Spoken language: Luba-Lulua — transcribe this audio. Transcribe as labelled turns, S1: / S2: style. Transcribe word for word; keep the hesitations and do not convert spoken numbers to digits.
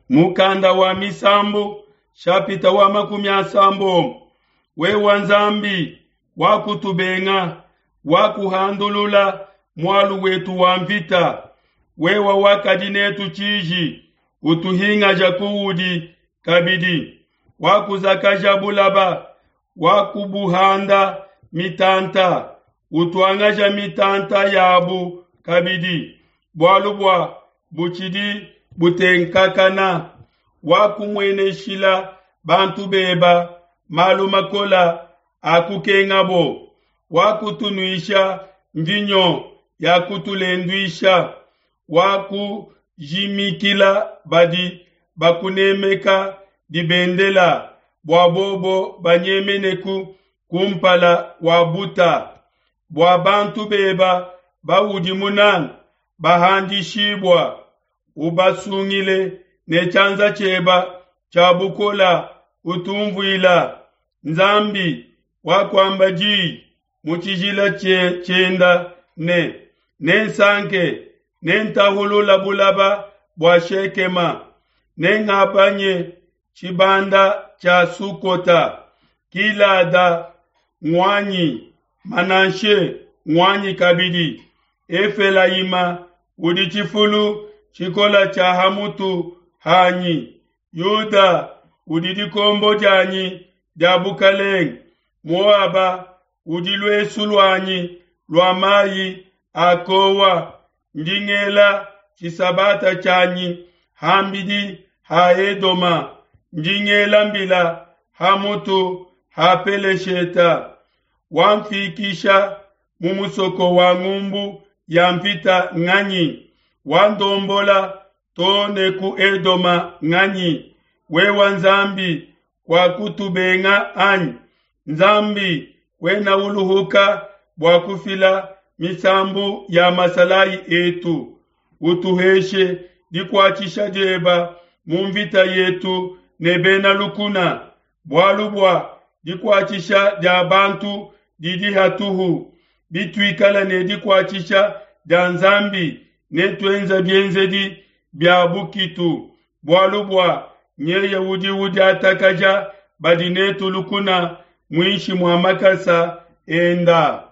S1: Mukanda wa Misambu shapita wa makumi asambombo. Wewa Nzambi wakutubenga, wakuhandulula mualu wetu wa mvita. Wewa wakadi netu tshiji, utuhingaja kuudi kabidi. Wakuzakaja bulaba, wakubuhanda mitanta, utuangaja mitanta yabu kabidi. Bualu bua butshidi butenkakana, wakumueneshila bantu beba malu makola akukengabo, wakutunuisha mvinyo ya kutulenduisha, wakujimikila badi bakunemeka dibendela bua bobo banyemeneku kumpala wa buta, bua bantu beba baudi munanga bahandishibua, ubasungile ne tshianza tshieba tshia bukola utumvuila. Nzambi wakuamba diyi mu tshijila tshienda ne nensanke nentahulula bulaba bua Shekema, nengabanye tshibanda tshia Sukota, Gilada ngwanyi, Manashe ngwanyi kabidi, Efelayima udi tshifulu tshikola tshia hamutu hanyi, Yuda udi dikombo dianyi dia bukalenge, Moaba udi luesu luanyi lua mayi a kowa, ndi ngela tshisabata tshianyi hambidi ha Edoma, ndi ngela mbila ha mutu ha Pelesheta, wamfikisha mu musoko wa ngumbu ya mvita nganyi, wandombola to ne ku Edoma nganyi. Wewa Nzambi wakutubenga anyi? Nzambi wena uluhuka bua kufila misambu ya masalayi etu, utuheshe dikuatshisha dieba mu mvita yetu ne bena lukuna, bualu bua dikuatshisha dia bantu didi hatuhu. Bituikala ne dikuatshisha dia Nzambi netuenza bienzedi bia bukitu, bualu bua nyeye udi udiatakaja badi netu lukuna muinshi mua makasa enda.